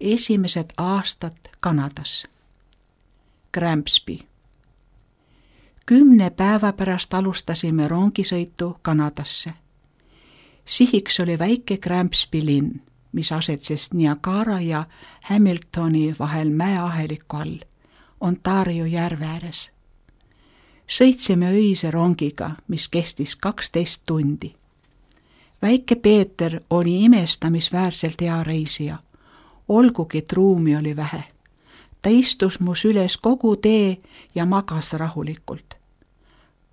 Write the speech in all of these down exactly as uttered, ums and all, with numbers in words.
esimesed aastad Kanadas. Granby. Kümne päeva pärast alustasime rongisõitu Kanadasse. Sihiks oli väike Granby linn, mis asetses Niagara ja Hamiltoni vahel mäeaheliku all, Ontario järve ääres. Sõitsime öise rongiga, mis kestis kaksteist tundi. Väike Peeter oli imestamisväärselt hea reisija, olgugi et ruumi oli vähe. Ta istus mu süles kogu tee ja magas rahulikult.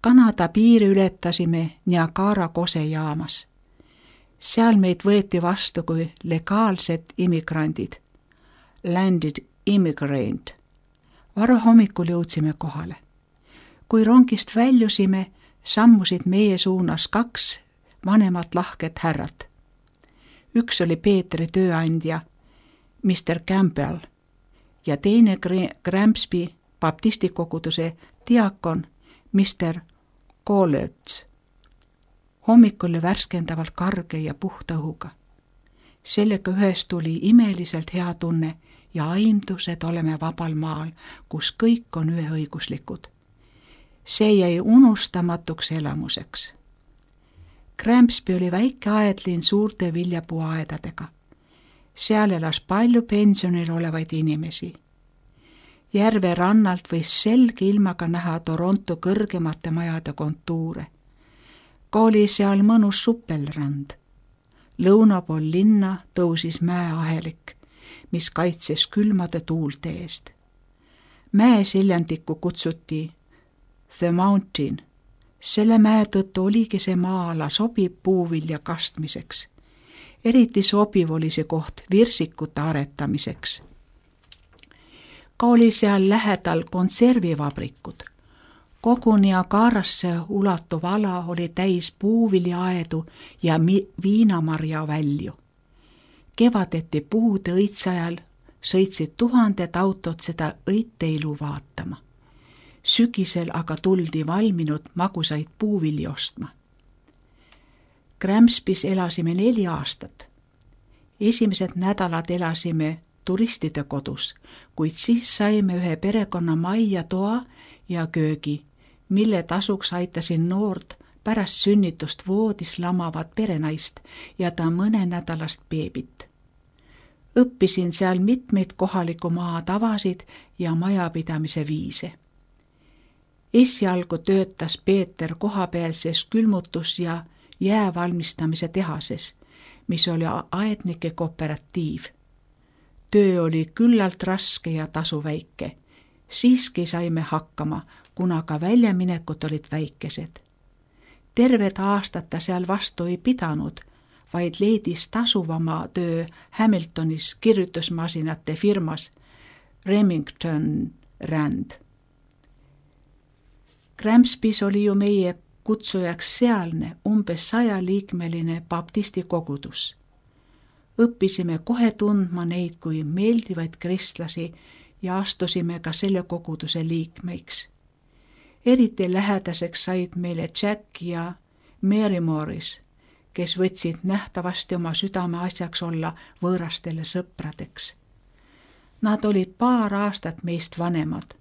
Kanada piiri ületasime Niagara kosejaamas. Seal meid võeti vastu kui legaalsed immigrandid, landed immigrant. Varahommikul jõudsime kohale. Kui rongist väljusime, sammusid meie suunas kaks vanemat lahket härrat. Üks oli Peetri tööandja, mister Campbell, ja teine Granby baptistikoguduse diakon, mister Collards. Hommik oli värskendavalt karge ja puhta õhuga. Sellega ühes tuli imeliselt hea tunne ja aimdus, et oleme vabal maal, kus kõik on üheõiguslikud. See jäi unustamatuks elamuseks. Granby oli väike aedlinn suurte viljapuuaedadega. Seal elas palju pensionil olevaid inimesi. Järve rannalt võis selge ilmaga näha Toronto kõrgemate majade kontuure. Ka oli seal mõnus suppelrand. Lõuna pool linna tõusis mäeahelik, mis kaitses külmade tuulte eest. Mäeseljandikku kutsuti The Mountain. Selle mäe tõttu oligi see maa-ala sobiv puuvilja kastmiseks. Eriti sobiv oli see koht virsikute aretamiseks. Ka oli seal lähedal konservivabrikud. Kogu Niagarasse ulatuv ala oli täis puuviljaaedu ja mi- viinamarja välju. Kevadeti puude õitsajal sõitsid tuhanded autod seda õitteilu vaatama. Sügisel aga tuldi valminud magusaid puuvilja ostma. Granbys elasime neli aastat. Esimesed nädalad elasime turistide kodus, kuid siis saime ühe perekonna majja toa ja köögi, mille tasuks aitasin noort pärast sünnitust voodis lamavat perenaist ja ta mõnenädalast beebit. Õppisin seal mitmeid kohaliku maa tavasid ja majapidamise viise. Esialgu töötas Peeter kohapealses külmutus- ja jäävalmistamise tehases, mis oli aednike kooperatiiv. Töö oli küllalt raske ja tasu väike. Siiski saime hakkama, kuna ka väljaminekud olid väikesed. Terved aastad ta seal vastu ei pidanud, vaid leidis tasuvama töö Hamiltonis kirjutusmasinate firmas Remington Rand. Granbys oli ju meie kutsujaks sealne umbes sajaliikmeline baptistikogudus. Õppisime kohe tundma neid kui meeldivaid kristlasi ja astusime ka selle koguduse liikmeiks. Eriti lähedaseks said meile Jack ja Mary Morris, kes võtsid nähtavasti oma südame asjaks olla võõrastele sõpradeks. Nad olid paar aastat meist vanemad,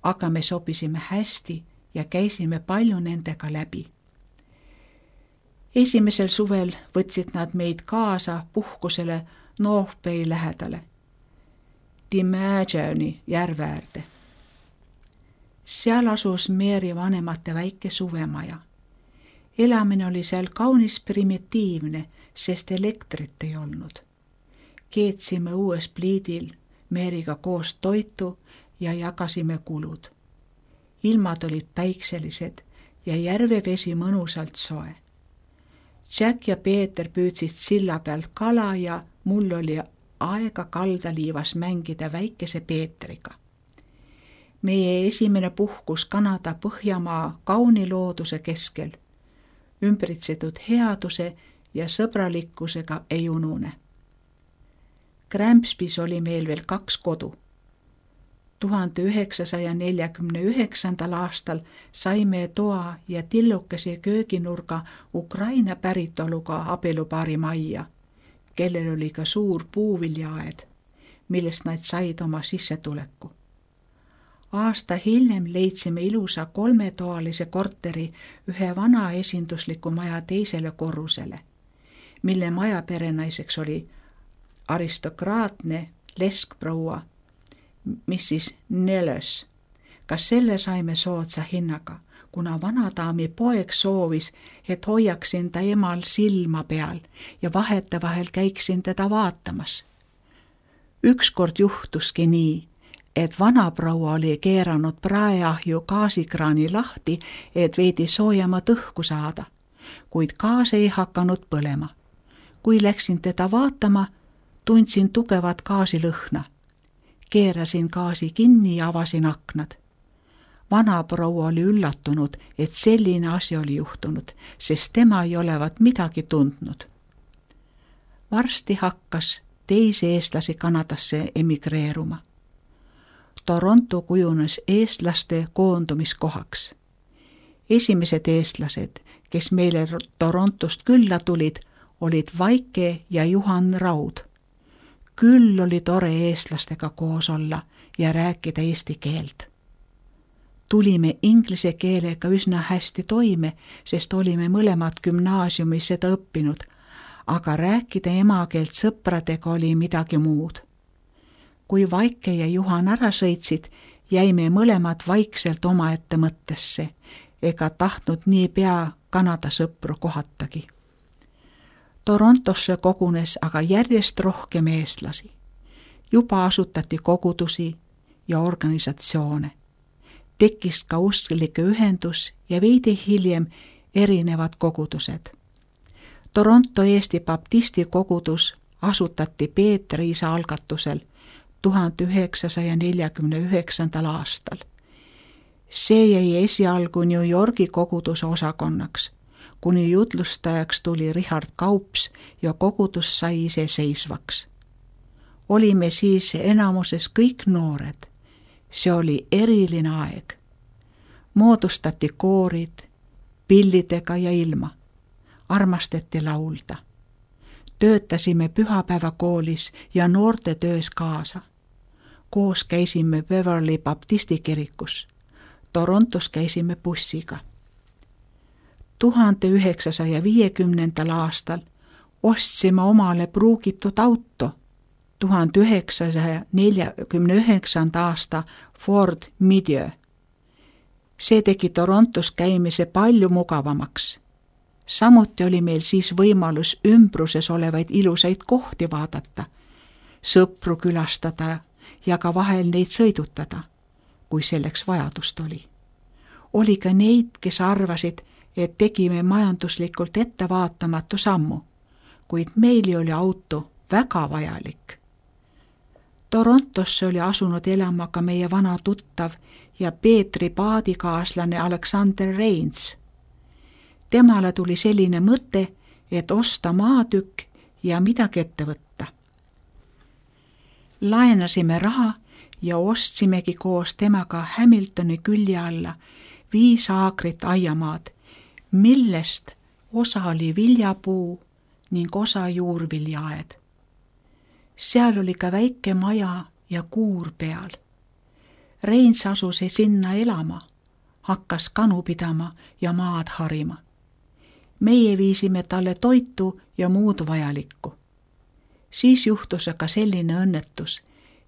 aga me sobisime hästi ja käisime palju nendega läbi. Esimesel suvel võtsid nad meid kaasa puhkusele North Bay lähedale, Dimageni järve äärde. Seal asus Mary vanemate väike suvemaja. Elamine oli seal kaunis primitiivne, sest elektrit ei olnud. Keetsime uues pliidil Maryga koos toitu ja jagasime kulud. Ilmad olid päikselised ja järvevesi mõnusalt soe. Jack ja Peeter püüdsid silla pealt kala ja mul oli aega kaldaliivas mängida väikese Peetriga. Meie esimene puhkus Kanada Põhjamaa kauni looduse keskel, ümbritsetud headuse ja sõbralikkusega ei unune. Granbys oli meil veel kaks kodu. tuhande üheksasaja neljakümne üheksandal aastal saime toa ja tillukese kööginurga Ukraina päritoluga abielupaari majja, kellel oli ka suur puuviljaaed, millest nad said oma sissetuleku. Aasta hiljem leidsime ilusa kolmetoalise korteri ühe vana esindusliku maja teisele korrusele, mille maja perenaiseks oli aristokraatne leskproua, missis Nelös. Ka selle saime soodsa hinnaga, kuna vanadaami poeg soovis, et hoiaksin ta emal silma peal ja vahetevahel käiksin teda vaatamas. Ükskord juhtuski nii, et vanaproua oli keeranud praeahju gaasikraani lahti, et veidi soojemat õhku saada, kuid gaas ei hakanud põlema. Kui läksin teda vaatama, tundsin tugevat gaasilõhna. Keerasin gaasi kinni ja avasin aknad. Vanaproua oli üllatunud, et selline asi oli juhtunud, sest tema ei olevat midagi tundnud. Varsti hakkas teisi eestlasi Kanadasse emigreeruma. Toronto kujunes eestlaste koondumiskohaks. Esimesed eestlased, kes meile Torontost külla tulid, olid Vaike ja Juhan Raud. Küll oli tore eestlastega koos olla ja rääkida eesti keelt. Tulime inglise keelega üsna hästi toime, sest olime mõlemad gümnaasiumis seda õppinud, aga rääkida emakeelt sõpradega oli midagi muud. Kui Vaike ja Juhan ära sõitsid, jäime mõlemad vaikselt omaette mõttesse, ega tahtnud nii pea Kanada sõpru kohatagi. Torontosse kogunes aga järjest rohkem eestlasi. Juba asutati kogudusi ja organisatsioone. Tekkis ka usklike ühendus ja veidi hiljem erinevad kogudused. Toronto Eesti Baptisti kogudus asutati Peetri isa algatusel tuhande üheksasaja neljakümne üheksandal aastal. See jäi esialgu New Yorgi koguduse osakonnaks, kuni jutlustajaks tuli Richard Kaups ja kogudus sai iseseisvaks. Olime siis enamuses kõik noored. See oli eriline aeg. Moodustati koorid, pillidega ja ilma. Armastati laulda. Töötasime pühapäevakoolis ja noorte töös kaasa. Koos käisime Beverly Baptisti kirikus. Torontos käisime bussiga. tuhande üheksasaja viiekümnendal aastal ostsime omale pruugitud auto. tuhande üheksasaja neljakümne üheksanda aasta Ford Meteor. See tegi Torontos käimise palju mugavamaks. Samuti oli meil siis võimalus ümbruses olevaid ilusaid kohti vaadata, sõpru külastada ja ka vahel neid sõidutada, kui selleks vajadust oli. Oli ka neid, kes arvasid, et tegime majanduslikult ettevaatamatu sammu, kuid meil oli auto väga vajalik. Torontosse oli asunud elama ka meie vana tuttav ja Peetri paadikaaslane Alexander Reins. Temale tuli selline mõte, et osta maatükk ja midagi ette võtta. Laenasime raha ja ostsimegi koos temaga Hamiltoni külje alla viis aakrit aiamaad, millest osa oli viljapuu ning osa juurviljaaed. Seal oli ka väike maja ja kuur peal. Reins asus sinna elama, hakkas kanu pidama ja maad harima. Meie viisime talle toitu ja muud vajalikku. Siis juhtus aga selline õnnetus,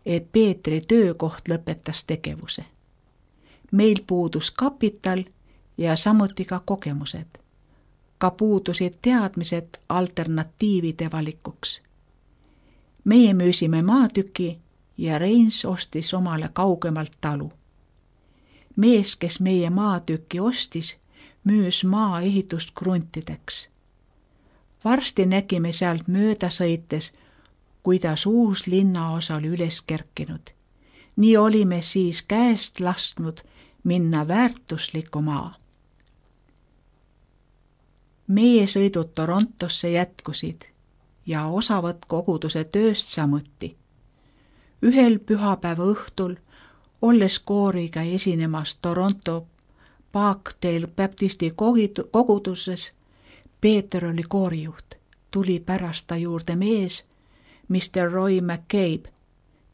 et Peetri töökoht lõpetas tegevuse. Meil puudus kapital ja samuti ka kogemused. Ka puudusid teadmised alternatiivide valikuks. Meie müüsime maatüki ja Reins ostis omale kaugemalt talu. Mees, kes meie maatüki ostis, müüs maa ehitust kruntideks. Varsti nägime sealt mööda sõites, kuidas uus linnaosa oli üles kerkinud. Nii olime siis käest lasknud minna väärtusliku maa. Meie sõidud Torontosse jätkusid ja osavõtt koguduse tööst samuti. Ühel pühapäeva õhtul, olles kooriga esinemas Toronto Parkdale Baptisti koguduses, Peeter oli koorijuht. Tuli pärast ta juurde mees, mister Roy McCabe,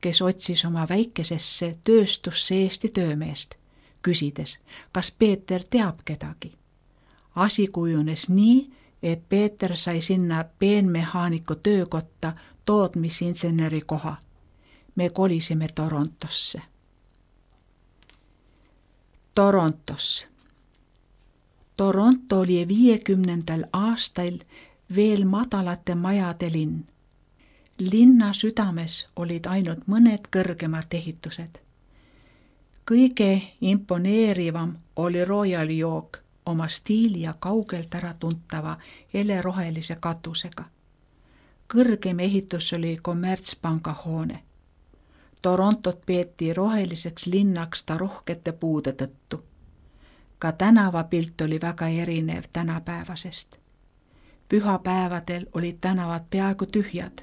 kes otsis oma väikesesse tööstusse Eesti töömeest, küsides, kas Peeter teab kedagi. Asi kujunes nii, et Peeter sai sinna peenmehaaniku töökotta tootmisinseneri koha. Me kolisime Torontosse. Torontos. Toronto oli viiekümnendal aastal veel madalate majade linn. Linna südames olid ainult mõned kõrgemad ehitused. Kõige imponeerivam oli Royal York oma stiili ja kaugelt ära tuntava helerohelise katusega. Kõrgem ehitus oli kommertspanga hoone. Torontot peeti roheliseks linnaks ta rohkete puude tõttu. Ka tänavapilt oli väga erinev tänapäevasest. Pühapäevadel olid tänavad peaaegu tühjad,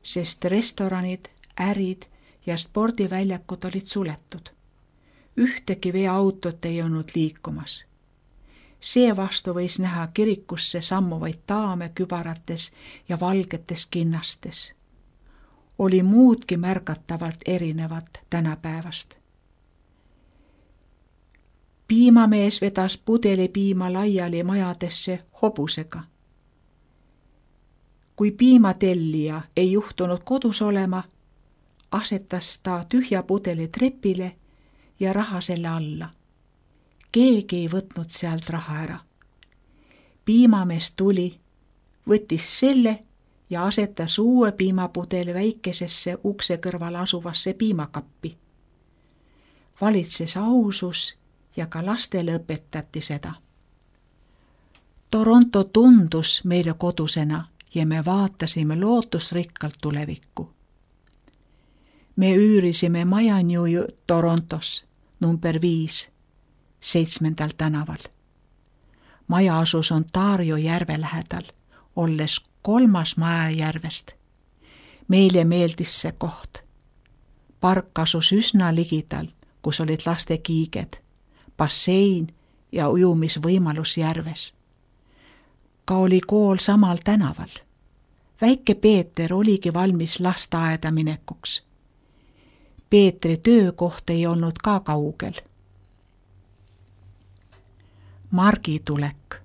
sest restoranid, ärid ja spordiväljakud olid suletud. Ühtegi veoautot ei olnud liikumas. Seevastu võis näha kirikusse sammuvaid daame kübarates ja valgetes kinnastes. Oli muudki märgatavalt erinevat tänapäevast. Piimamees vedas pudeli piima laiali majadesse hobusega. Kui piimatellija ei juhtunud kodus olema, asetas ta tühja pudeli trepile ja raha selle alla. Keegi ei võtnud sealt raha ära. Piimamees tuli, võttis selle ja asetas uue piimapudeli väikesesse ukse kõrval asuvasse piimakappi. Valitses ausus ja ka lastele õpetati seda. Toronto tundus meile kodusena ja me vaatasime lootusrikkalt tulevikku. Me üürisime maja New Torontos, number viis, seitsmendal tänaval. Maja asus Ontario järve lähedal, olles kolmas maja järvest. Meile meeldis see koht. Park asus üsna ligidal, kus olid laste kiiged, bassein ja ujumisvõimalus järves. Ka oli kool samal tänaval. Väike Peeter oligi valmis lasteaeda minekuks. Peetri töökoht ei olnud ka kaugel. Margi tulek.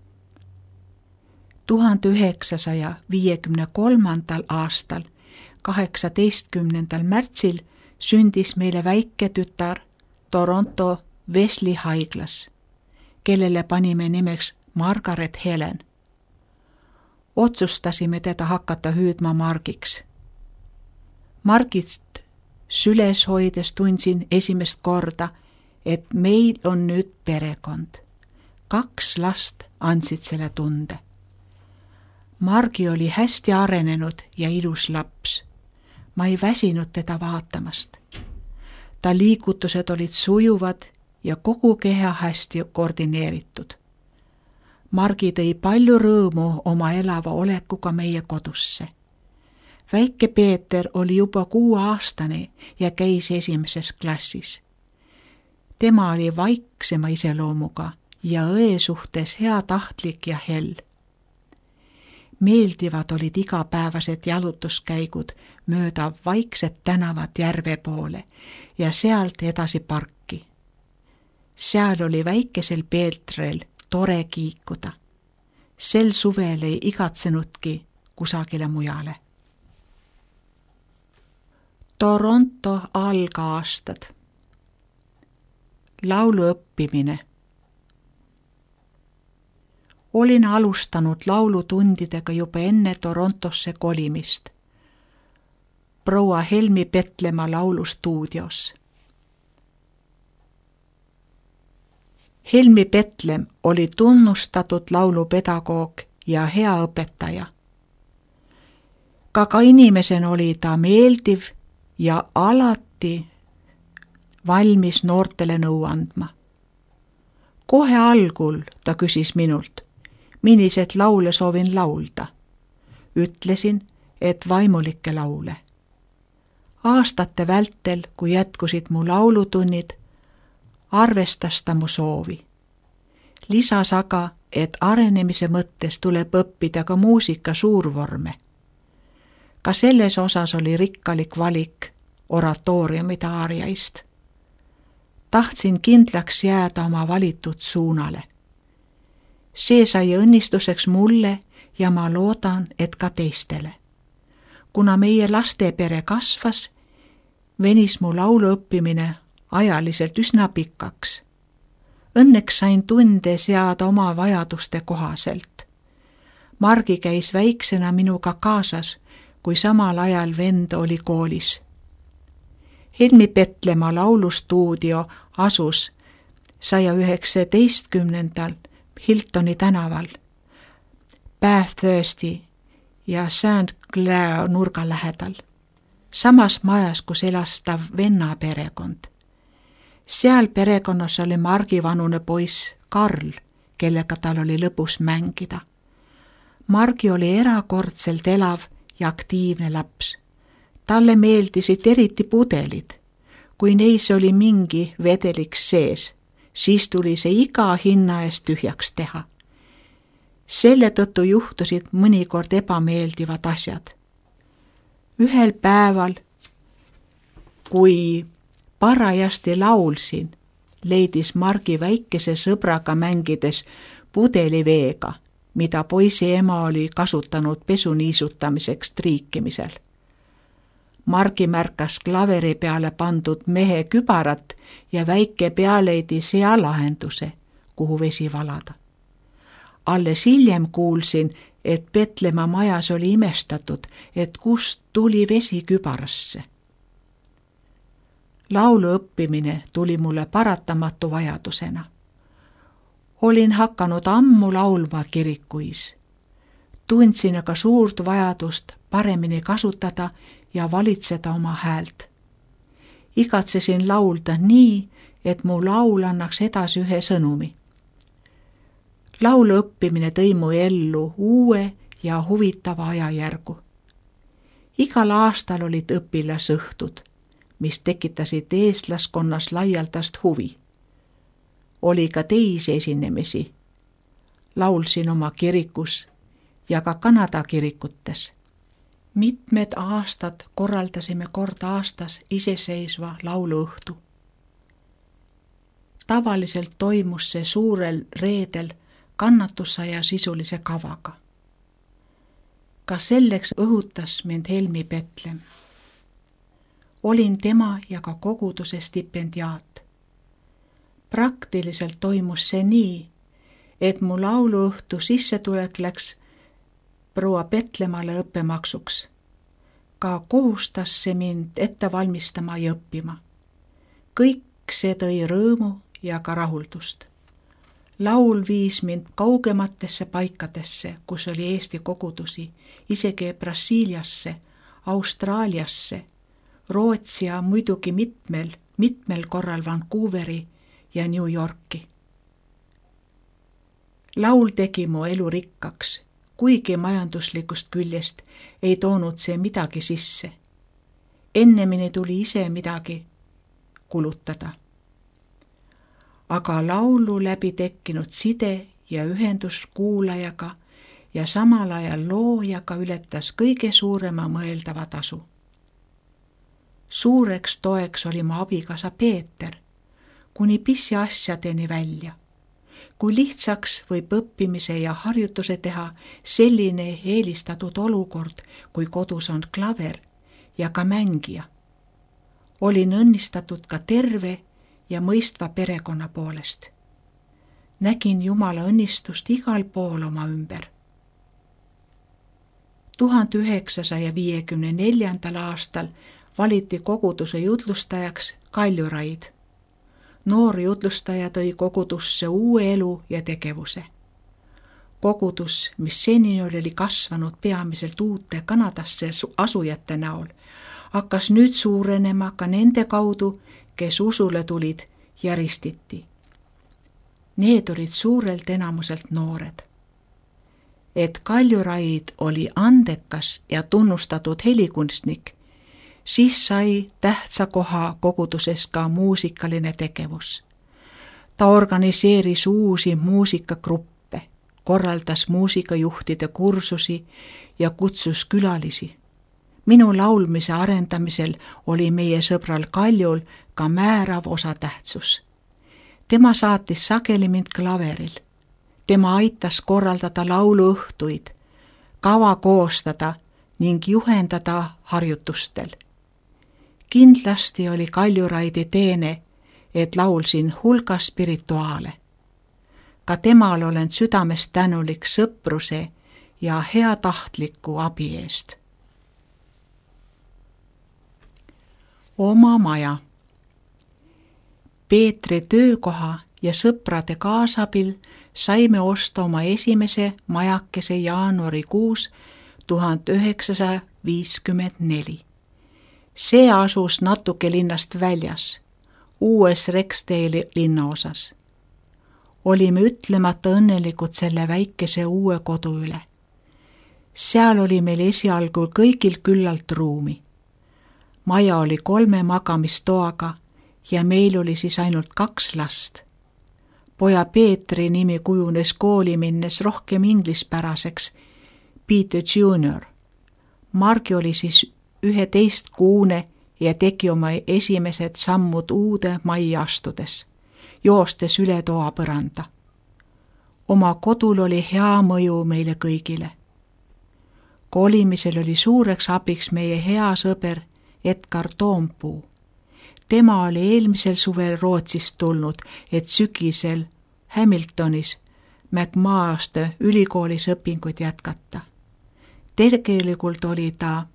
tuhande üheksasaja viiekümne kolmandal aastal, kaheksateistkümnendal märtsil sündis meile väike tütar Toronto Wesley haiglas, kellele panime nimeks Margaret Helen. Otsustasime teda hakata hüüdma Margiks. Margit süles hoides tundsin esimest korda, et meil on nüüd perekond. Kaks last andsid selle tunde. Margi oli hästi arenenud ja ilus laps. Ma ei väsinud teda vaatamast. Ta liigutused olid sujuvad ja kogu keha hästi koordineeritud. Margi tõi palju rõõmu oma elava olekuga meie kodusse. Väike Peeter oli juba kuueaastane ja käis esimeses klassis. Tema oli vaiksema iseloomuga ja õe suhtes heatahtlik ja hell. Meeldivad olid igapäevased jalutuskäigud mööda vaikset tänavat järve poole ja sealt edasi parki. Seal oli väikesel Peetrel tore kiikuda. Sel suvel ei igatsenudki kusagile mujale. Toronto algaastad. Laulu õppimine. Olin alustanud laulutundidega juba enne Torontosse kolimist. Proua Helmi Petlemma laulustuudios. Helmi Petlem oli tunnustatud laulupedagoog ja hea õpetaja. Ka ka inimesena oli ta meeldiv ja alati valmis noortele nõu andma. Kohe algul ta küsis minult, millised laule soovin laulda. Ütlesin, et vaimulikke laule. Aastate vältel, kui jätkusid mu laulutunnid, arvestas ta mu soovi. Lisas aga, et arenemise mõttes tuleb õppida ka muusika suurvorme. Ka selles osas oli rikkalik valik, oratooriumide aariaist. Tahtsin kindlaks jääda oma valitud suunale. See sai õnnistuseks mulle ja ma loodan, et ka teistele. Kuna meie lastepere kasvas, venis mu laulu õppimine ajaliselt üsna pikaks. Õnneks sain tunde seada oma vajaduste kohaselt. Margi käis väiksena minuga kaasas, kui samal ajal vend oli koolis. Helmi Petlemaa laulustuudio asus saja üheksateistkümnendal Hiltoni tänaval, Bathursti ja Saint Clair nurga lähedal, samas majas, kus elas ta venna perekond. Seal perekonnas oli Margi vanune poiss Karl, kellega tal oli lõbus mängida. Margi oli erakordselt elav ja aktiivne laps. Talle meeldisid eriti pudelid. Kui neis oli mingi vedeliks sees, siis tuli see iga hinna eest tühjaks teha. Selle tõttu juhtusid mõnikord ebameeldivad asjad. Ühel päeval, kui parajasti laulsin, leidis Margi väikese sõbraga mängides pudeliveega, mida poisi ema oli kasutanud pesu niisutamiseks triikimisel. Margi märkas klaveri peale pandud mehe kübarat ja väike pea leidis hea lahenduse, kuhu vesi valada. Alles hiljem kuulsin, et Petlemaa majas oli imestatud, et kust tuli vesi kübarasse. Laulu õppimine tuli mulle paratamatu vajadusena. Olin hakanud ammu laulma kirikuis. Tundsin aga suurt vajadust paremini kasutada ja valitseda oma häält. Igatsesin laulda nii, et mu laul annaks edasi ühe sõnumi. Laulu õppimine tõi mu ellu uue ja huvitava ajajärgu. Igal aastal olid õpilasõhtud, mis tekitasid eestlaskonnas laialdast huvi. Oli ka teisi esinemisi. Laulsin oma kirikus ja ka Kanada kirikutes. Mitmed aastad korraldasime kord aastas iseseisva lauluõhtu. Tavaliselt toimus see suurel reedel kannatusaja sisulise kavaga. Ka selleks õhutas mind Helmi Petlem. Olin tema ja ka koguduse stipendiaat. Praktiliselt toimus see nii, et mu lauluõhtu sissetulek läks proua Petlemale õppemaksuks. Ka kohustas see mind ette valmistama ja õppima. Kõik see tõi rõõmu ja ka rahuldust. Laul viis mind kaugematesse paikadesse, kus oli Eesti kogudusi, isegi Brasiiliasse, Austraaliasse, Rootsi ja muidugi mitmel, mitmel korral Vancouveri ja New Yorki. Laul tegi mu elu rikkaks, kuigi majanduslikust küljest ei toonud see midagi sisse. Ennemini tuli ise midagi kulutada. Aga laulu läbi tekkinud side ja ühendus kuulajaga ja samal ajal loojaga ületas kõige suurema mõeldava tasu. Suureks toeks oli mu abikaasa Peeter, kuni pisiasjadeni välja. Kui lihtsaks võib õppimise ja harjutuse teha selline eelistatud olukord, kui kodus on klaver ja ka mängija. Olin õnnistatud ka terve ja mõistva perekonna poolest. Nägin Jumala õnnistust igal pool oma ümber. tuhande üheksasaja viiekümne neljandal aastal valiti koguduse jutlustajaks Kaljuraid. Noor jutlustaja tõi kogudusse uue elu ja tegevuse. Kogudus, mis seni oli kasvanud peamiselt uute Kanadasse asujate näol, hakkas nüüd suurenema ka nende kaudu, kes usule tulid ja ristiti. Need olid suurelt enamuselt noored. Et Kaljuraid oli andekas ja tunnustatud helikunstnik, siis sai tähtsa koha koguduses ka muusikaline tegevus. Ta organiseeris uusi muusikagruppe, korraldas muusikajuhtide kursusi ja kutsus külalisi. Minu laulmise arendamisel oli meie sõbral Kaljul ka määrav osatähtsus. Tema saatis sageli mind klaveril. Tema aitas korraldada lauluõhtuid, kava koostada ning juhendada harjutustel. Kindlasti oli Kaljuraidi teene, et laulsin hulga spirituaale. Ka temal olen südamest tänulik sõpruse ja heatahtliku abi eest. Oma maja. Peetri töökoha ja sõprade kaasabil saime osta oma esimese majakese jaanuarikuus tuhat üheksasada viiskümmend neli. See asus natuke linnast väljas, uues Rexdale'i linnaosas. Olime ütlemata õnnelikud selle väikese uue kodu üle. Seal oli meil esialgu kõigil küllalt ruumi. Maja oli kolme magamistoaga ja meil oli siis ainult kaks last. Poja Peetri nimi kujunes kooli minnes rohkem inglispäraseks, Peter junior. Margi oli siis üheteistkuune ja tegi oma esimesed sammud uude majja astudes, joostes üle toa põranda. Oma kodul oli hea mõju meile kõigile. Kolimisel oli suureks abiks meie hea sõber Edgar Toompuu. Tema oli eelmisel suvel Rootsist tulnud, et sügisel Hamiltonis McMaster ülikoolis õpinguid jätkata. Tegelikult oli ta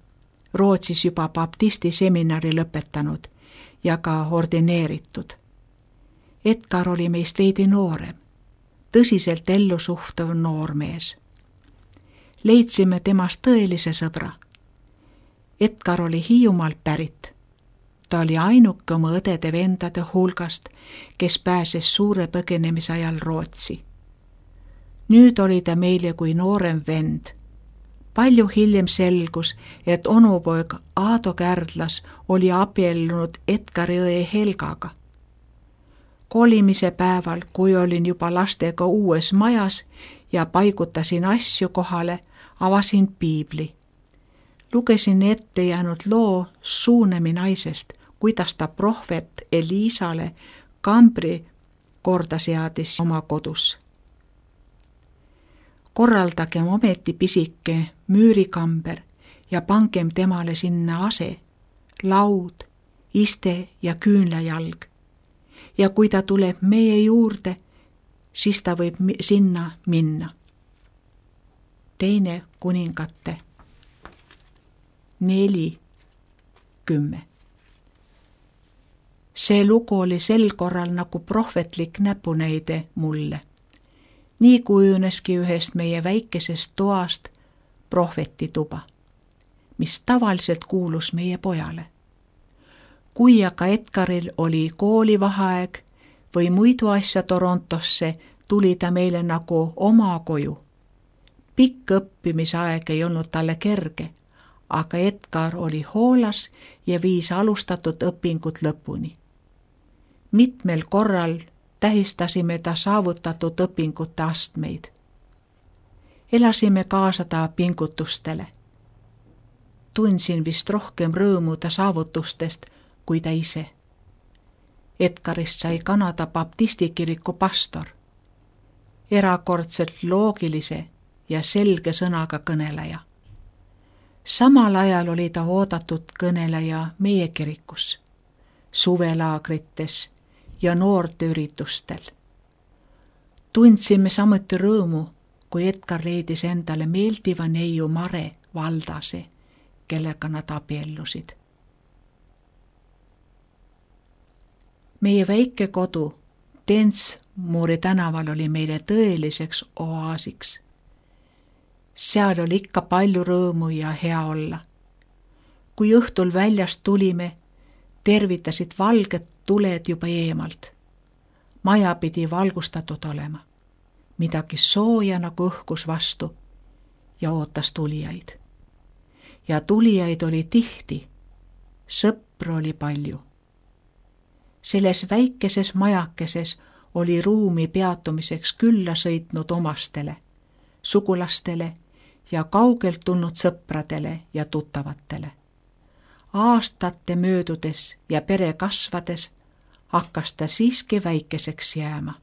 Rootsis juba baptisti seminari lõpetanud ja ka ordineeritud. Edgar oli meist veidi noorem, tõsiselt ellu suhtav noormees. Leidsime temast tõelise sõbra. Edgar oli Hiiumaalt pärit. Ta oli ainuke oma õdede vendade hulgast, kes pääses suure põgenemise ajal Rootsi. Nüüd oli ta meile kui noorem vend. Palju hiljem selgus, et onupoeg Aado Kärdlas oli abiellunud Edgari õe Helgaga. Kolimise päeval, kui olin juba lastega uues majas ja paigutasin asju kohale, avasin piibli. Lugesin ette jäänud loo Suunemi naisest, kuidas ta prohvet Eliisale kambri korda seadis oma kodus. Korraldagem ometi pisike müürikamber ja pangem temale sinna ase, laud, iste ja küünlajalg. Ja kui ta tuleb meie juurde, siis ta võib sinna minna. Teine kuningate neli kümme. See lugu oli sel korral nagu prohvetlik näpunäide mulle. Nii kujuneski ühest meie väikesest toast prohvetituba, mis tavaliselt kuulus meie pojale. Kui aga Edgaril oli koolivaheaeg või muidu asja Torontosse, tuli ta meile nagu oma koju. Pikk õppimisaeg ei olnud talle kerge, aga Edgar oli hoolas ja viis alustatud õpingut lõpuni. Mitmel korral tähistasime ta saavutatud õpingute astmeid. Elasime kaasa ta pingutustele. Tundsin vist rohkem rõõmu ta saavutustest kui ta ise. Edgarist sai Kanada baptistikiriku pastor, erakordselt loogilise ja selge sõnaga kõneleja. Samal ajal oli ta oodatud kõneleja meie kirikus, suvelaagrites ja noorteüritustel. Tundsime samuti rõõmu, kui Edgar leidis endale meeldiva neiu Mare Valdase, kellega nad abiellusid. Meie väike kodu Densmoori tänaval oli meile tõeliseks oaasiks. Seal oli ikka palju rõõmu ja hea olla. Kui õhtul väljast tulime, tervitasid valged tuled juba eemalt. Maja pidi valgustatud olema. Midagi sooja nagu õhkus vastu ja ootas tulijaid. Ja tulijaid oli tihti, sõpru oli palju. Selles väikeses majakeses oli ruumi peatumiseks külla sõitnud omastele, sugulastele ja kaugelt tulnud sõpradele ja tuttavatele. aastate möödudes ja pere kasvades hakkas ta siiski väikeseks jääma.